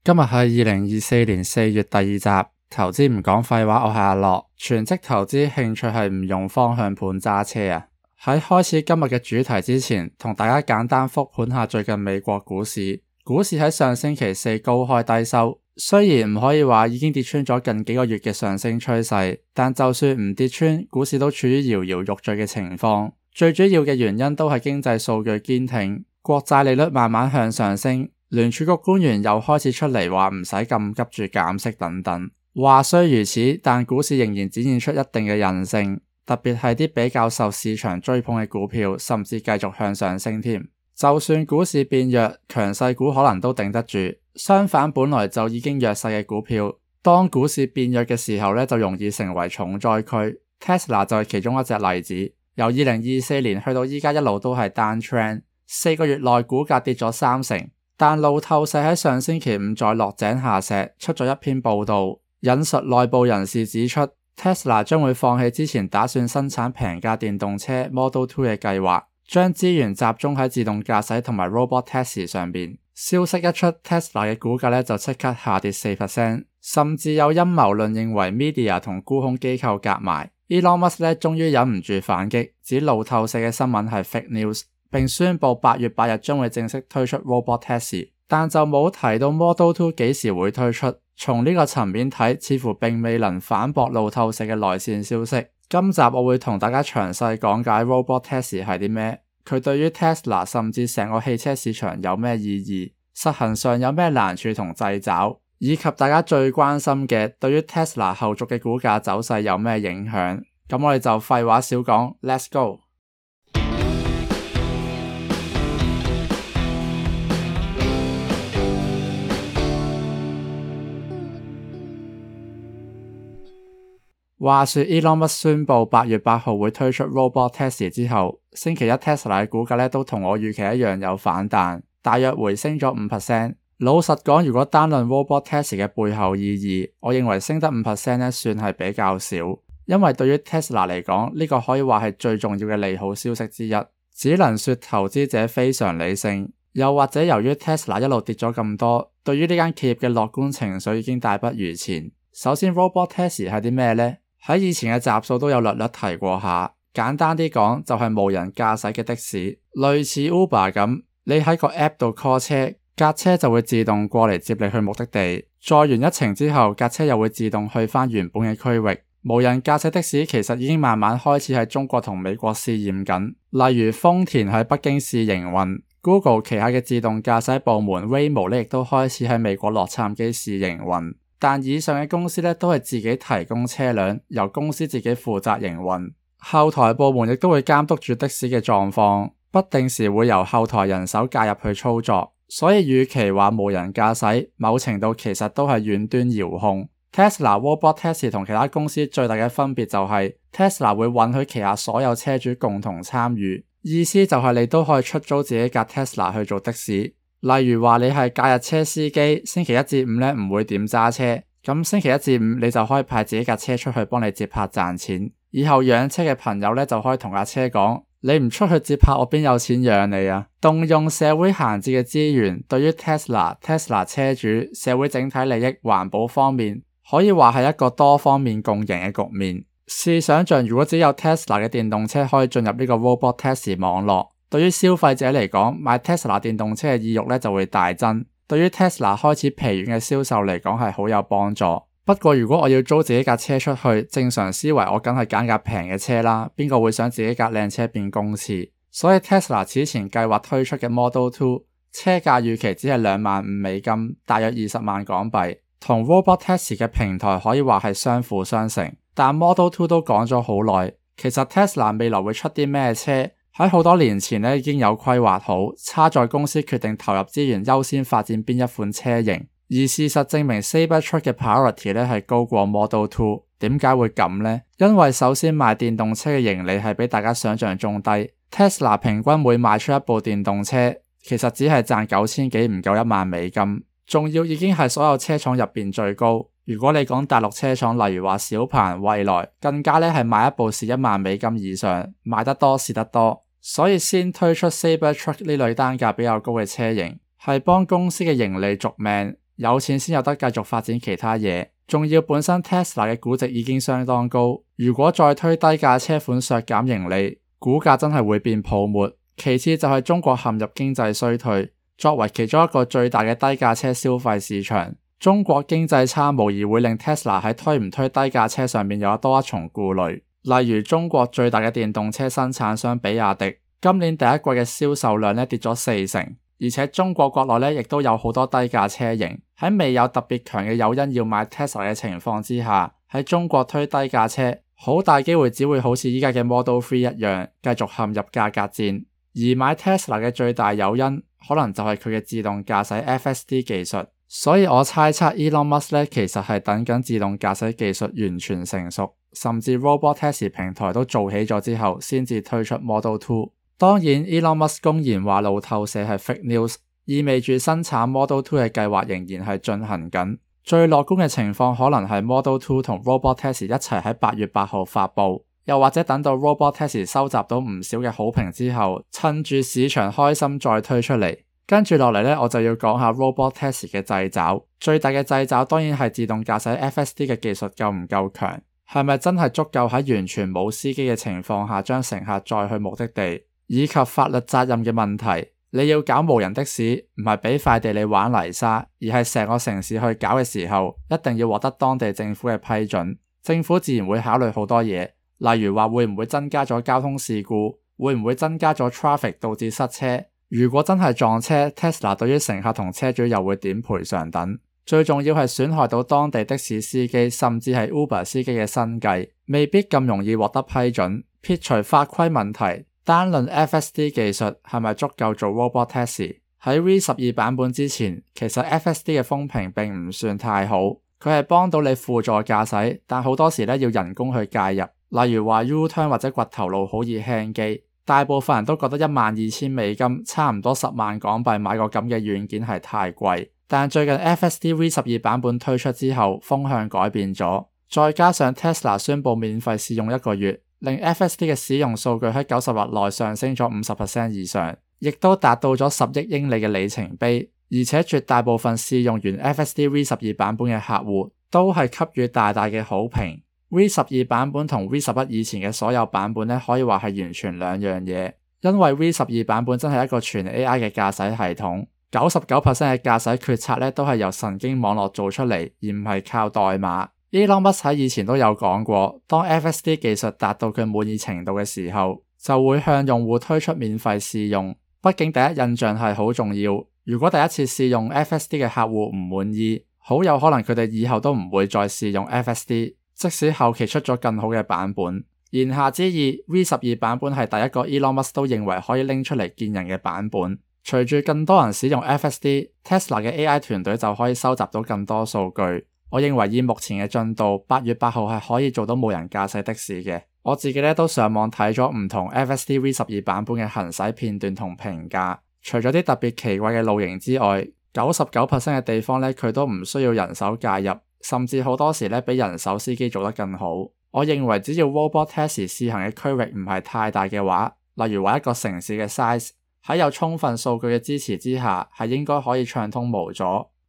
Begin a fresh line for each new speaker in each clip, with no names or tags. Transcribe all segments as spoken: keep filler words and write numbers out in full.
今日係二零二四年四月第二集，投資唔講廢話，我係阿樂，全職投資興趣係唔用方向盤揸車啊。喺開始今日嘅主題之前，同大家簡單復盤下最近美國股市。股市喺上星期四高開低收，雖然唔可以話已經跌穿咗近幾個月嘅上升趨勢，但就算唔跌穿，股市都處於搖搖欲墜嘅情況。最主要嘅原因都係經濟數據堅挺，國債利率慢慢向上升，聯儲局官員又開始出嚟話唔使咁急住減息等等。話雖如此，但股市仍然展現出一定嘅韌性，特別係啲比較受市場追捧嘅股票，甚至繼續向上升添。就算股市變弱，強勢股可能都頂得住。相反，本來就已經弱勢嘅股票，當股市變弱嘅時候呢，就容易成為重災區。Tesla 就係其中一隻例子，由二零二四年去到依家一路都係 down trend， 四個月內股價跌咗三成。但路透社喺上星期五再落井下石，出咗一篇報道，引述內部人士指出， Tesla 將會放棄之前打算生產平價電動車 Model two 嘅計劃，將資源集中喺自動駕駛同埋 Robot Taxi 上面。消息一出， Tesla 嘅股價咧就即刻下跌 百分之四， 甚至有陰謀論認為 Media 同沽空機構夾埋。Elon Musk 咧終於忍唔住反擊，指路透社嘅新聞係 fake news， 並宣布八月八日將會正式推出 Robot Taxi， 但就冇提到 Model two 幾時會推出。從呢個層面睇，似乎並未能反駁路透社嘅內線消息。今集我會同大家詳細講解 Robot Taxi 係啲咩，佢對於 Tesla 甚至成個汽車市場有咩意義，實行上有咩難處同掣肘，以及大家最關心嘅對於 Tesla 後續嘅股價走勢有咩影響。咁我哋就廢話少講 ，Let's go！ 話說 Elon Musk 宣布八月八號會推出 Robot Taxi 之後，星期一 Tesla 嘅股價咧都同我預期一樣有反彈，大約回升咗 百分之五。老實講，如果單論 Robot Taxi 嘅背後意義，我認為升得 百分之五 咧算係比較少，因為對於 Tesla 嚟講，呢個可以話係最重要嘅利好消息之一。只能說投資者非常理性，又或者由於 Tesla 一路跌咗咁多，對於呢間企業嘅樂觀情緒已經大不如前。首先 Robot Taxi 係啲咩呢？喺以前嘅集數都有略略提過下，簡單啲講就係無人駕駛嘅的，的士，類似 Uber 咁，你喺個 app 度 call 車，架車就會自動過嚟接你去目的地，載完一程之後，架車又會自動去返原本嘅區域。無人駕駛的士其實已經慢慢開始喺中國同美國試驗緊，例如豐田喺北京試營運， Google 旗下嘅自動駕駛部門 Waymo 咧亦都開始喺美國洛杉磯試營運。但以上嘅公司咧都係自己提供車輛，由公司自己負責營運，後台部門亦都會監督住的士嘅狀況，不定時會由後台人手介入去操作。所以與其話無人駕駛，某程度其實都係遠端遙控。Tesla Robot Taxi 同其他公司最大嘅分別就係 Tesla 會允許旗下所有車主共同參與，意思就係你都可以出租自己架 Tesla 去做的士。例如話你係假日車司機，星期一至五咧唔會點揸車，咁星期一至五你就可以派自己架車出去幫你接客賺錢。以後養車嘅朋友咧就可以同架車講，你唔出去接客，我邊有錢養你啊？動用社會閒置嘅資源，對於 Tesla、Tesla 車主、社會整體利益、環保方面，可以話係一個多方面共贏嘅局面。試想象，如果只有 Tesla 嘅電動車可以進入呢個 Robot Taxi 網絡，對於消費者嚟講，買 Tesla 電動車嘅意欲咧就會大增，對於 Tesla 開始疲軟嘅銷售嚟講係好有幫助。不過如果我要租自己架車出去，正常思維我梗係揀架平嘅車啦，邊個會想自己架靚車變公廁？所以 Tesla 此前計劃推出嘅 Model two 車價預期只係兩萬五美金，大約二十萬港幣，同 Robot Taxi 嘅平台可以話係相輔相成。但 Model two 都講咗好耐，其實 Tesla 未來會出啲咩車？喺好多年前咧已經有規劃好，差在公司決定投入資源優先發展邊一款車型。而事實證明 Cybertruck 嘅 priority 咧係高過 Model two。點解會咁呢？因為首先賣電動車嘅盈利係比大家想象中低。Tesla 平均每賣出一部電動車，其實只係賺九千幾，唔夠一萬美金，仲要已經係所有車廠入邊最高。如果你講大陸車廠，例如話小鵬、蔚來，更加咧係賣一部蝕一萬美金以上，賣得多蝕得多。所以先推出 Cybertruck 呢類單價比較高嘅車型，係幫公司嘅盈利續命。有錢先有得繼續發展其他嘢。仲要本身 Tesla 嘅估值已經相當高，如果再推低價車款削減盈利，股價真係會變泡沫。其次就係中國陷入經濟衰退，作為其中一個最大嘅低價車消費市場，中國經濟差無疑會令 Tesla 喺推唔推低價車上面有多一重顧慮。例如中國最大嘅電動車生產商比亞迪，今年第一季嘅銷售量咧跌咗四成，而且中國國內咧亦都有好多低價車型，喺未有特別強嘅誘因要買 Tesla 嘅情況之下，喺中國推低價車，好大機會只會好似依家嘅 Model 三一樣，繼續陷入價格戰。而買 Tesla 嘅最大誘因，可能就係佢嘅自動駕駛 F S D 技術。所以我猜測 Elon Musk 咧其實係等緊自動駕駛技術完全成熟，甚至 Robotaxi 平台都做起咗之後，先至推出 Model 二。當然 Elon Musk 公然話路透社係 fake news， 意味住生產 Model 二嘅計劃仍然係進行緊。最樂觀嘅情況可能係 Model 二同 Robotaxi 一齊喺八月八號發佈，又或者等到 Robotaxi 收集到唔少嘅好評之後，趁住市場開心再推出嚟。跟住落嚟呢，我就要講下 Robotaxi 嘅掣肘。最大嘅掣肘當然係自動駕駛 F S D 嘅技術夠唔夠強，係咪真係足夠喺完全冇司機嘅情況下將乘客載去目的地，以及法律責任嘅問題。你要搞無人的士，唔係俾塊地你玩泥沙，而係成個城市去搞嘅時候，一定要獲得當地政府嘅批准。政府自然會考慮好多嘢，例如話會唔會增加咗交通事故，會唔會增加咗 traffic 導致塞車。如果真係撞車 ，Tesla 對於乘客同車主又會點賠償等。最重要係損害到當地的士司機甚至係 Uber 司機嘅生計，未必咁容易獲得批准。撇除法規問題，單論 F S D 技術係咪足夠做 Robotaxi？ 喺 V 十二 版本之前，其實 F S D 嘅風評並唔算太好，佢係幫到你輔助駕駛，但好多時咧要人工去介入，例如話 U-turn 或者掘頭路好易輕機。大部分人都覺得一萬二千美金，差唔多十萬港幣買個咁嘅軟件係太貴。但最近 F S D V 十二 版本推出之後，風向改變咗，再加上 Tesla 宣布免費試用一個月，令 F S D 嘅使用數據喺九十日內上升咗 百分之五十 以上，亦都達到咗十億英里嘅里程碑。而且絕大部分試用完 F S D V 十二 版本嘅客戶都係給予大大嘅好評。V 十二 版本同 V 十一以前嘅所有版本咧，可以話係完全兩樣嘢。因為 V 十二 版本真係一個全 A I 嘅駕駛系統，九十九 percent 嘅駕駛決策咧都係由神經網絡做出嚟，而唔係靠代碼。Elon Musk 喺以前都有講過，當 F S D 技術達到佢滿意程度嘅時候，就會向用戶推出免費試用。畢竟第一印象係好重要，如果第一次試用 F S D 嘅客戶唔滿意，好有可能佢哋以後都唔會再試用 F S D。即使後期出咗更好嘅版本，言下之意 V 十二 版本係第一個 Elon Musk 都認為可以拎出嚟見人嘅版本。隨住更多人使用 F S D， Tesla 嘅 A I 團隊就可以收集到更多數據。我認為以目前嘅進度，八月八號係可以做到無人駕駛的士嘅。我自己咧都上網睇咗唔同 F S D V 十二 版本嘅行駛片段同評價，除咗啲特別奇怪嘅路型之外，九十九 percent 嘅地方咧佢都唔需要人手介入。甚至好多時咧比人手司機做得更好。我認為只要 Robotaxi 試行嘅區域唔係太大嘅話，例如話一個城市嘅 size， 喺有充分數據嘅支持之下，係應該可以暢通無阻。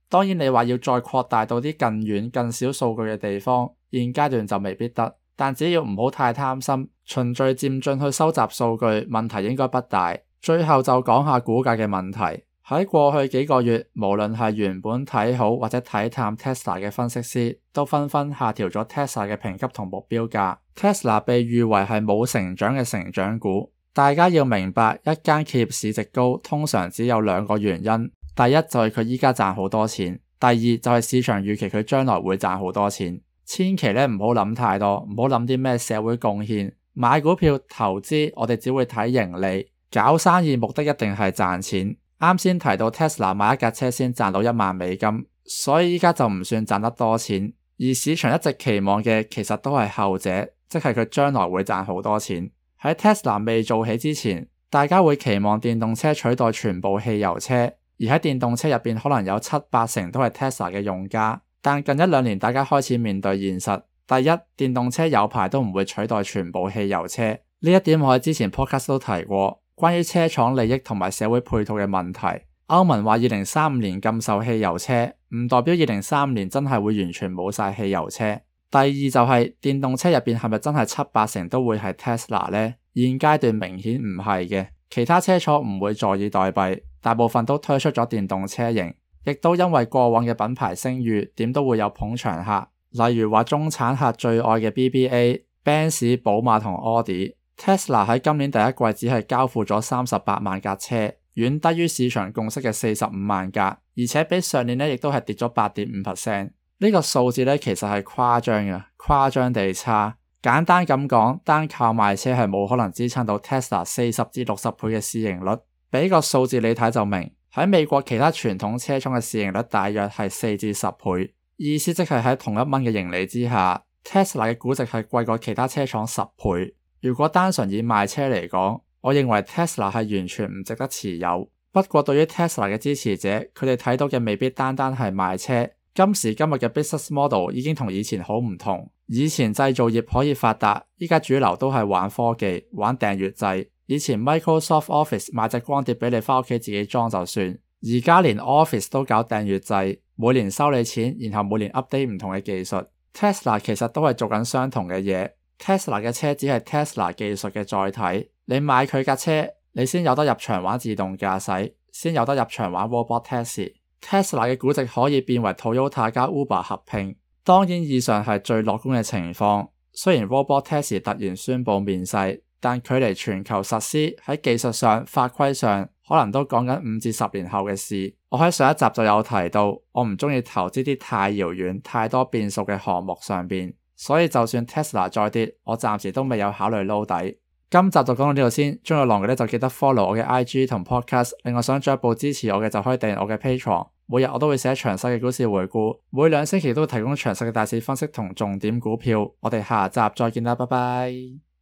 當然你話要再擴大到啲更遠更少數據嘅地方，現階段就未必得。但只要唔好太貪心，循序漸進去收集數據，問題應該不大。最後就講下股價嘅問題。喺過去幾個月，無論係原本睇好或者睇淡 Tesla 嘅分析師，都紛紛下調咗 Tesla 嘅評級同目標價。Tesla 被譽為係冇成長嘅成長股。大家要明白，一間企業市值高，通常只有兩個原因。第一就係佢依家賺好多錢，第二就係市場預期佢將來會賺好多錢。千祈咧唔好諗太多，唔好諗啲咩社會貢獻。買股票投資，我哋只會睇盈利。搞生意目的一定係賺錢。啱先提到 Tesla 買一架車先賺到一萬美金，所以依家就唔算賺得多錢。而市場一直期望嘅其實都係後者，即係佢將來會賺好多錢。喺 Tesla 未做起之前，大家會期望電動車取代全部汽油車，而喺電動車入邊可能有七八成都係 Tesla 嘅用家。但近一兩年大家開始面對現實，第一，電動車有排都唔會取代全部汽油車，呢一點我喺之前 podcast 都提過。關於車廠利益同埋社會配套嘅問題，歐盟話二零三五年禁售汽油車，唔代表二零三五年真係會完全冇晒汽油車。第二就係電動車入邊係咪真係七八成都會係 Tesla 呢？現階段明顯唔係嘅，其他車廠唔會坐以待斃，大部分都推出咗電動車型，亦都因為過往嘅品牌聲譽，點都會有捧場客，例如話中產客最愛嘅 B B A、Benz、寶馬同 Audi。Tesla 喺今年第一季只係交付咗三十八萬架車，遠低於市場共識嘅四十五萬架，而且比上年呢亦都係跌咗 八點五 percent。呢個數字呢其實係誇張嘅，誇張地差。簡單咁講，單靠賣車係冇可能支撐到 Tesla 四十至六十倍嘅市盈率。俾個數字你睇就明，喺美國其他傳統車廠嘅市盈率大約係四至十倍，意思即係喺同一蚊嘅盈利之下， Tesla 嘅估值係貴過其他車廠十倍。如果單純以賣車嚟講，我認為 Tesla 係完全唔值得持有。不過對於 Tesla 嘅支持者，佢哋睇到嘅未必單單係賣車。今時今日嘅 business model 已經同以前好唔同。以前製造業可以發達，依家主流都係玩科技、玩訂閱制。以前 Microsoft Office 買隻光碟俾你返屋企自己裝就算，而家連 Office 都搞訂閱制，每年收你錢，然後每年 update 唔同嘅技術。Tesla 其實都係做緊相同嘅嘢。Tesla 嘅車只係 Tesla 技術嘅載體，你買佢架車，你先有得入場玩自動駕駛，先有得入場玩 Robot Taxi。Tesla 嘅估值可以變為 Toyota 加 Uber 合併，當然以上係最樂觀嘅情況。雖然 Robot Taxi 突然宣布面世，但距離全球實施喺技術上、法規上可能都講緊五至十年後嘅事。我喺上一集就有提到，我唔中意投資啲太遙遠、太多變數嘅項目上邊，所以就算 Tesla 再跌，我暫時都未有考慮撈底。今集就講到呢度先，中意浪嘅咧就記得 follow 我嘅 I G 同 podcast， 另外想進一步支持我嘅就可以訂閱我嘅 Patreon， 每日我都會寫詳細嘅股市回顧，每兩星期都會提供詳細嘅大市分析同重點股票。我哋下集再見啦，拜拜。